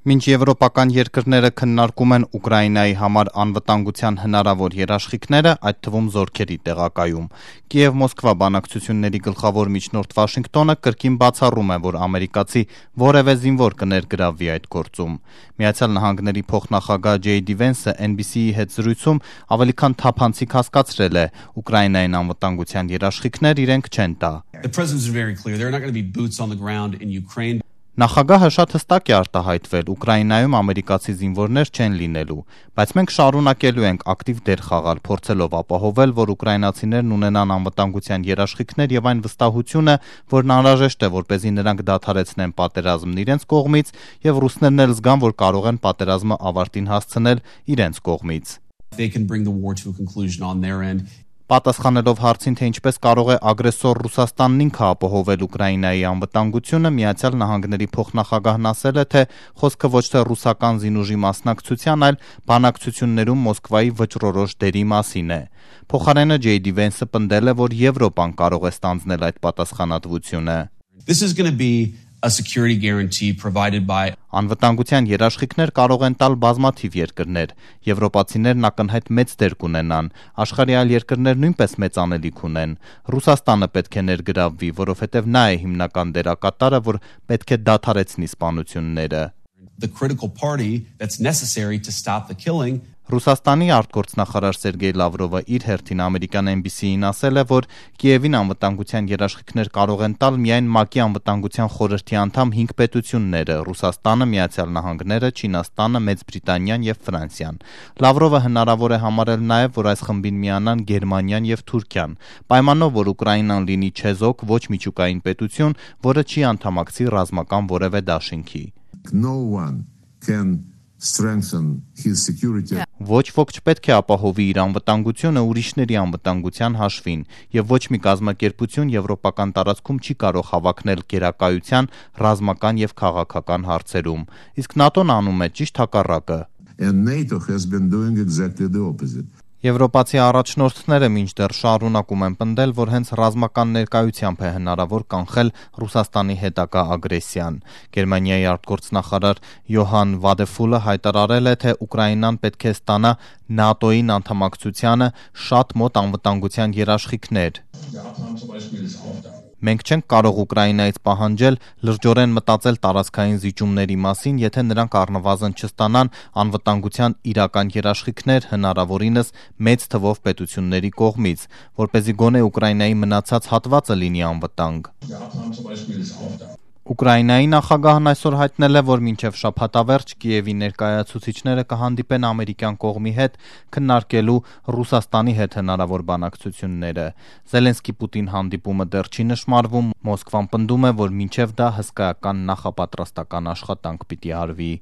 Մինչ եվրոպական երկրները քննարկում են Ուկրաինայի համար անվտանգության հնարավոր երաշխիքները, այդ թվում զորքերի տեղակայում, Կիև-Մոսկվա բանակցությունների գլխավոր միջնորդ Վաշինգտոնը կրկին բացառում է, որ ամերիկացի որևէ զինվոր կներգրավվի այդ գործում։ Միացյալ Նահանգների փոխնախագահ Ջեյ Դի Վենսը NBC-ի հետ զրույցում ավելի քան թափանցիկ հասկացրել է՝ Ուկրաինային անվտանգության երաշխիքներ իրենք չեն տա։ Նախագահը շատ հստակ է արտահայտվել՝ Ուկրաինայում ամերիկացի զինվորներ չեն լինելու, բայց մենք շարունակելու ենք ակտիվ դեր խաղալ, փորձելով ապահովել, որ ուկրաինացիներն ունենան անվտանգության երաշխիքներ եւ այն վստահությունը, որն անհրաժեշտ է, որպեսզի նրանք դադարեցնեն պատերազմն իրենց կողմից եւ ռուսներն էլ զգան, որ կարող են պատերազմը ավարտին հասցնել իրենց կողմից։ Պատասխանելով հարցին, թե ինչպես կարող է ագրեսոր Ռուսաստանն ինքը ապահովել Ուկրաինայի անվտանգությունը, Միացյալ Նահանգների փոխնախագահն ասել է, թե խոսքը ոչ թե ռուսական զինուժի մասնակցության, այլ բանակցություններում Մոսկվայի վճռորոշ դերի մասին է։ Փոխարենը Ջեյ Դի Վենսը պնդել է, որ Եվրոպան կարող է ստանձնել այդ պատասխանատվությունը։ Անվտանգության երաշխիքներ կարող են տալ բազմաթիվ երկրներ։ Եվրոպացիներն ակնհայտ մեծ դեր կունենան։ Աշխարհի այլ երկրներ նույնպես մեծ անելիք ունեն։ Ռուսաստանը պետք է ներգրավվի, որովհետև նա է հիմնական դերակատարը, որ պետք է դադարեցնի սպանությունները։ Ռուսաստանի արտգործնախարար Սերգեյ Լավրովը իր հերթին ամերիկյան NBC-ին ասել է, որ Կիևին անվտանգության երաշխիքներ կարող են տալ միայն ՄԱԿ-ի անվտանգության խորհրդի անդամ 5 պետությունները՝ Ռուսաստանը, Միացյալ Նահանգները, Չինաստանը, Մեծ Բրիտանիան եւ Ֆրանսիան։ Լավրովը հնարավոր է համարել նաեւ, որ այս խմբին միանան Գերմանիան եւ Թուրքիան, պայմանով, որ Ուկրաինան լինի չեզոք, ոչ միջուկային պետություն, որը չի անդամակցի ռազմական որևէ դաշինքի։ Ոչ ոք չպետք է ապահովի իր անվտանգությունը ուրիշների անվտանգության հաշվին, եւ ոչ մի կազմակերպություն եվրոպական տարածքում չի կարող հավակնել գերակայության, ռազմական եւ քաղաքական հարցերում, իսկ ՆԱՏՕ-ն անում է ճիշտ հակառակը։ Եվրոպացի առաջնորդները մինչդեռ շարունակում են պնդել, որ հենց ռազմական ներկայությամբ է հնարավոր կանխել Ռուսաստանի հետագա ագրեսիան։ Գերմանիայի արտգործնախարար Յոհան Վադեֆուլը հայտարարել է, թե Ուկրաինան պետք է ստանա ՆԱՏՕ-ին անդամակցությանը շատ մոտ անվտանգության երաշխիքներ։ Մենք չենք կարող Ուկրաինայից պահանջել լրջորեն մտածել տարածքային զիջումների մասին, եթե նրանք առնվազն չստանան անվտանգության իրական երաշխիքներ, հնարավորինս մեծ թվով պետությունների կողմից, որպեսզի գոնե Ուկրաինայի մնացած հատվածը լինի անվտանգ։ Ուկրաինայի նախագահն այսօր հայտնել է, որ մինչև շաբաթավերջ Կիևի ներկայացուցիչները կհանդիպեն ամերիկյան կողմի հետ քննարկելու Ռուսաստանի հետ հնարավոր բանակցությունները։ Զելենսկի-Պուտին հանդիպումը դեռ չի նշմարվում, Մոսկվան պնդում է, որ մինչև դա հսկայական նախապատրաստական աշխատանք պիտի արվի։